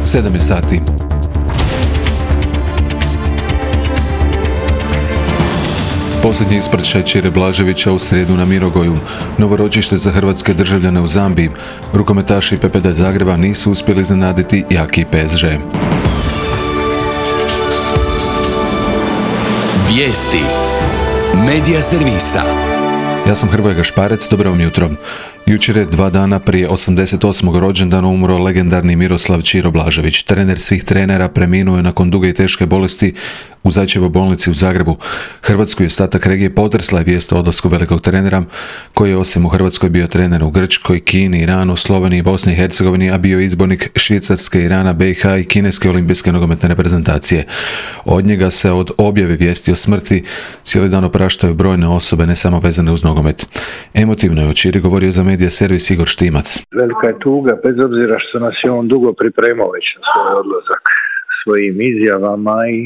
7 je sati. Posljednji ispraćaj Ćire Blaževića u srijedu na Mirogoju. Novoročište za hrvatske državljane u Zambiji. Rukometaši PPD Zagreba nisu uspjeli iznenaditi jaki PSG. Vijesti Medija servisa. Ja sam Hrvoje Gašparec, dobro vam jutro. Jučer je 2 dana prije 88. rođendana umro legendarni Miroslav Ćiro Blažević. Trener svih trenera, preminuo je nakon duge i teške bolesti u Zajčevoj bolnici u Zagrebu. Hrvatsku i ostatak regije potresla je vijest o odlasku velikog trenera, koji je osim u Hrvatskoj bio trener u Grčkoj, Kini, Iranu, Sloveniji, Bosni i Hercegovini, a bio izbornik Švicarske, Irana, BiH i Kineske olimpijske nogometne reprezentacije. Od njega se od objave vijesti o smrti cijeli dan opraštaju brojne osobe, ne samo vezane uz nogomet. Emotivno je o Ćiri govorio za Medija servis Igor Štimac. Velika je tuga, bez obzira što nas je on dugo pripremao već na svoj odlazak svojim izjavama i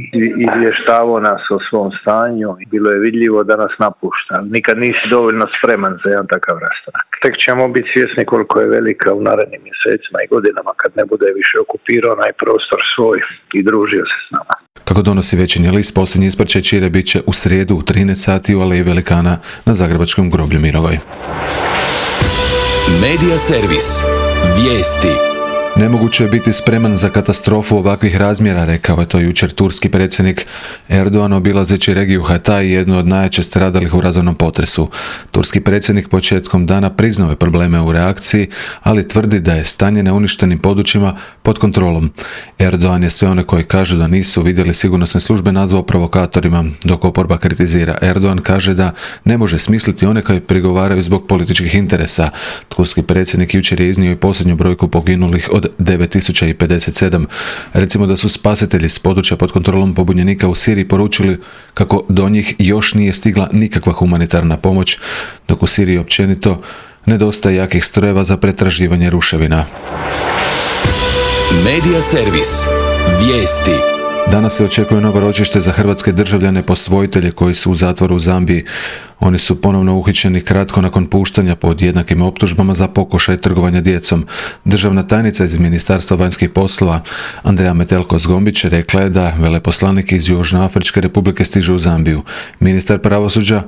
izvještavao nas o svom stanju. Bilo je vidljivo da nas napušta. Nikad nisi dovoljno spreman za jedan takav rastanak. Tek ćemo biti svjesni koliko je velika u narednim mjesecima i godinama kad ne bude više okupirao onaj prostor svoj i družio se s nama. Kako donosi Večernji list, posljednji ispraćaj Ćire bit će u srijedu u 13 sati u Aleji Velikana na zagrebačkom groblju Mirogoj. Medija servis. Vijesti. Nemoguće je biti spreman za katastrofu ovakvih razmjera, rekao je to jučer turski predsjednik Erdogan obilazeći regiju Hatay, jednu od najjače stradalih u razornom potresu. Turski predsjednik početkom dana priznao je probleme u reakciji, ali tvrdi da je stanje na uništenim područjima pod kontrolom. Erdogan je sve one koji kažu da nisu vidjeli sigurnosne službe nazvao provokatorima, dok oporba kritizira. Erdogan kaže da ne može smisliti one koji prigovaraju zbog političkih interesa. Turski predsjednik jučer je iznio i posljednju brojku poginulih od 9057. Recimo da su spasitelji s područja pod kontrolom pobunjenika u Siriji poručili kako do njih još nije stigla nikakva humanitarna pomoć, dok u Siriji općenito nedostaje jakih strojeva za pretraživanje ruševina. Medija servis. Vijesti. Danas se očekuje novoročište za hrvatske državljane posvojitelje koji su u zatvoru u Zambiji. Oni su ponovno uhićeni kratko nakon puštanja pod jednakim optužbama za pokušaj trgovanja djecom. Državna tajnica iz Ministarstva vanjskih poslova Andreja Metelko-Zgombić rekla je da veleposlanik iz Južnoafričke republike stiže u Zambiju. Ministar pravosuđa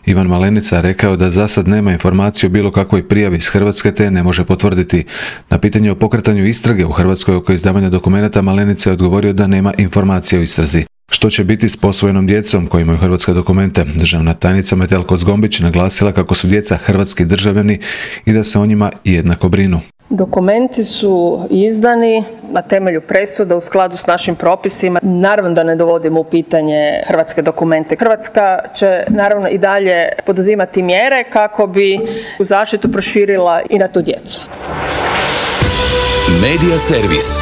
Ivan Malenica rekao da za sad nema informacije o bilo kakvoj prijavi iz Hrvatske te ne može potvrditi. Na pitanje o pokretanju istrage u Hrvatskoj oko izdavanja dokumenata Malenica je odgovorio da nema informacije o istrazi. Što će biti s posvojenom djecom koji imaju hrvatske dokumente? Državna tajnica Metelko-Zgombić naglasila kako su djeca hrvatski državljani i da se o njima jednako brinu. Dokumenti su izdani na temelju presuda u skladu s našim propisima. Naravno da ne dovodimo u pitanje hrvatske dokumente. Hrvatska će naravno i dalje poduzimati mjere kako bi u zaštitu proširila i na tu djecu. Medija servis.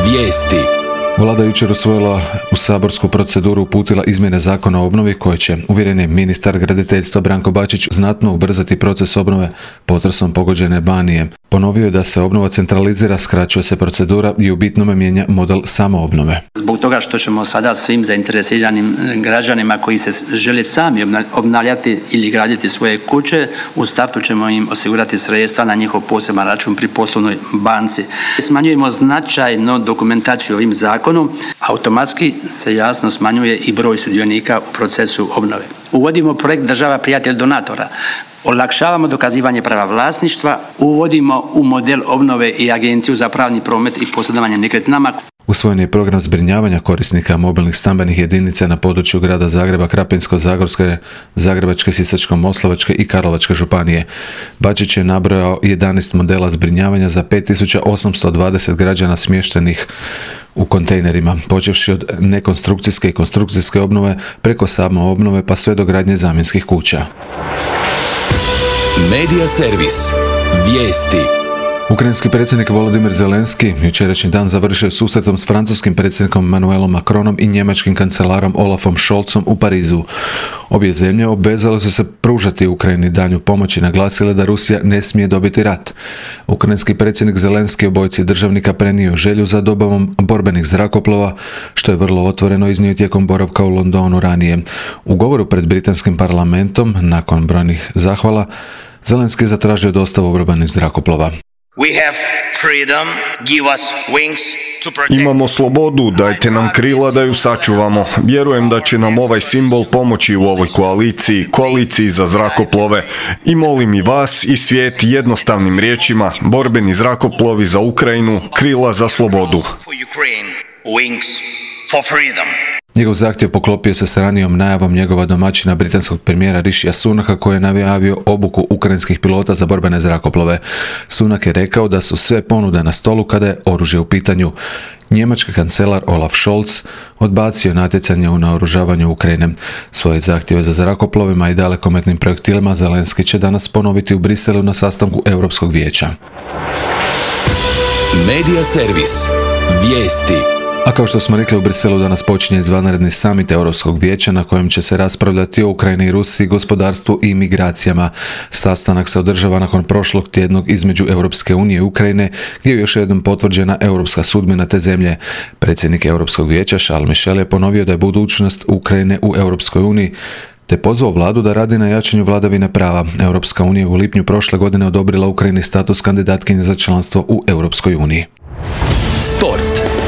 Vijesti. Vlada jučer usvojila u saborsku proceduru uputila izmjene zakona o obnovi koje će, uvjeren je ministar graditeljstva Branko Bačić, znatno ubrzati proces obnove potresom pogođene Banije. Ponovio je da se obnova centralizira, skraćuje se procedura i u bitnome mijenja model samoobnove. Zbog toga što ćemo sada svim zainteresiranim građanima koji se žele sami obnavljati ili graditi svoje kuće, u startu ćemo im osigurati sredstva na njihov poseban račun pri poslovnoj banci. Smanjujemo značajno dokumentaciju ovim zakonom, automatski se jasno smanjuje i broj sudionika u procesu obnove. Uvodimo projekt država prijatelj donatora. Olakšavamo dokazivanje prava vlasništva, uvodimo u model obnove i Agenciju za pravni promet i posredovanje nekretninama. Usvojen je program zbrinjavanja korisnika mobilnih stambenih jedinica na području grada Zagreba, Krapinsko-zagorske, Zagrebačke, Sisačko-moslavačke i Karlovačke županije. Bačić je nabrojao 11 modela zbrinjavanja za 5820 građana smještenih u kontejnerima, počevši od nekonstrukcijske i konstrukcijske obnove preko samoobnove pa sve do gradnje zamjenskih kuća. Medija servis. Vijesti. Ukrajinski predsjednik Volodymyr Zelenski jučerašnji dan završio susretom s francuskim predsjednikom Emmanuelom Macronom i njemačkim kancelarom Olafom Scholzom u Parizu. Obje zemlje obvezale su se pružati Ukrajini danju pomoć i naglasile da Rusija ne smije dobiti rat. Ukrajinski predsjednik Zelenski obojci državnika prenio želju za dobavom borbenih zrakoplova, što je vrlo otvoreno iznio tijekom boravka u Londonu ranije. U govoru pred britanskim parlamentom, nakon brojnih zahvala, Zelenski je zatražio dostavu borbenih zrakoplova. We have freedom, give us wings to protect. Imamo slobodu, dajte nam krila da ju sačuvamo. Vjerujem da će nam ovaj simbol pomoći u ovoj koaliciji za zrakoplove. I molim i vas i svijet jednostavnim riječima, borbeni zrakoplovi za Ukrajinu, krila za slobodu. For Ukraine, wings for freedom. Njegov zahtjev poklopio se s ranijom najavom njegova domaćina britanskog premijera Rishija Sunaka koji je najavio obuku ukrajinskih pilota za borbene zrakoplove. Sunak je rekao da su sve ponude na stolu kada je oružje u pitanju. Njemački kancelar Olaf Scholz odbacio natjecanje u naoružavanju Ukrajine. Svoje zahtjeve za zrakoplovima i dalekometnim projektilima Zelenski će danas ponoviti u Briselu na sastanku Europskog vijeća. Medija servis. Vijesti. A kao što smo rekli, u Briselu danas počinje izvanredni samit Europskog vijeća na kojem će se raspravljati o Ukrajini i Rusiji, gospodarstvu i migracijama. Sastanak se održava nakon prošlog tjednog između Europske unije i Ukrajine, gdje je još jednom potvrđena europska sudbina te zemlje. Predsjednik Europskog vijeća Charles Michel je ponovio da je budućnost Ukrajine u Europskoj uniji, te pozvao vladu da radi na jačanju vladavine prava. Europska unija u lipnju prošle godine odobrila Ukrajini status kandidatkinje za članstvo u Europskoj uniji. Sport.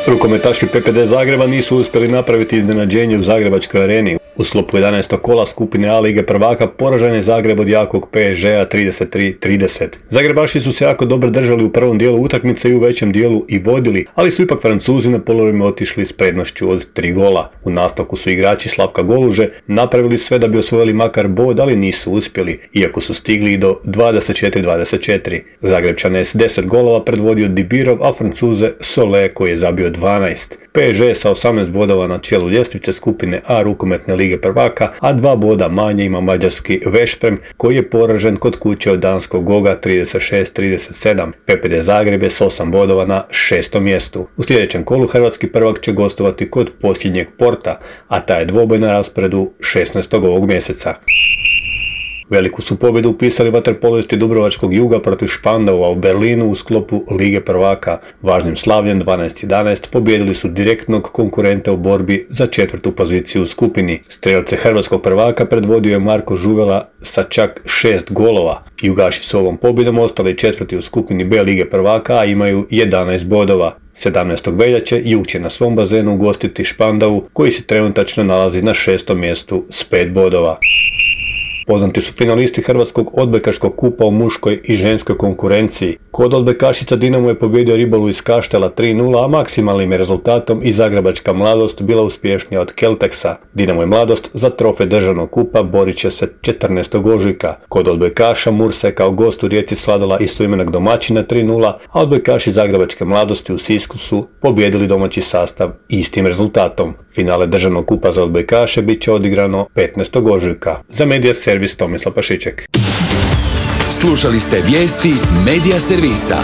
Rukometaši PPD Zagreba nisu uspjeli napraviti iznenađenje u Zagrebačkoj areni. U sklopu 11. kola skupine A Lige prvaka poražen je Zagreb od jakog PSG-a 33-30. Zagrebaši su se jako dobro držali u prvom dijelu utakmice i u većem dijelu i vodili, ali su ipak Francuzi na polovima otišli s prednošću od 3 gola. U nastavku su igrači Slavka Goluže napravili sve da bi osvojili makar bod, ali nisu uspjeli, iako su stigli do 24-24. Zagrebčane s 10 golova predvodio Dibirov, a Francuze Solé koji je zabio 12. PSG sa 18 bodova na čelu ljestvice skupine A rukometne Lige prvaka, a 2 boda manje ima mađarski Veszprem koji je poražen kod kuće od danskog Goga 36-37. PPD Zagreb je s 8 bodova na 6. mjestu. U sljedećem kolu hrvatski prvak će gostovati kod posljednjeg Porta, a taj je dvoboj na rasporedu 16. ovog mjeseca. Veliku su pobjedu upisali vaterpolisti Dubrovačkog Juga protiv Špandaua u Berlinu u sklopu Lige prvaka. Važnim slavljem 12-11 pobijedili su direktnog konkurenta u borbi za 4. poziciju u skupini. Strelce hrvatskog prvaka predvodio je Marko Žuvela sa čak 6 golova. Jugaši su ovom pobjedom ostali 4. u skupini B Lige prvaka, a imaju 11 bodova. 17. veljače Jug će na svom bazenu ugostiti Špandau koji se trenutačno nalazi na 6. mjestu s 5 bodova. Poznati su finalisti Hrvatskog odbojkaškog kupa u muškoj i ženskoj konkurenciji. Kod odbojkašica Dinamo je pobijedio Ribolu iz Kaštela 3-0, a maksimalnim je rezultatom i Zagrebačka Mladost bila uspješnija od Kelteksa. Dinamo i Mladost za trofej državnog kupa borit će se 14. ožujka. Kod odbojkaša Mursa je kao gost u Rijeci svladala istoimenog domaćina 3-0, a odbojkaši Zagrebačke Mladosti u Sisku su pobijedili domaći sastav istim rezultatom. Finale državnog kupa za odbojkaše bit će odigrano 15. ožujka. Za Medija servis Tomislav Pašiček. Slušali ste vijesti Medija servisa.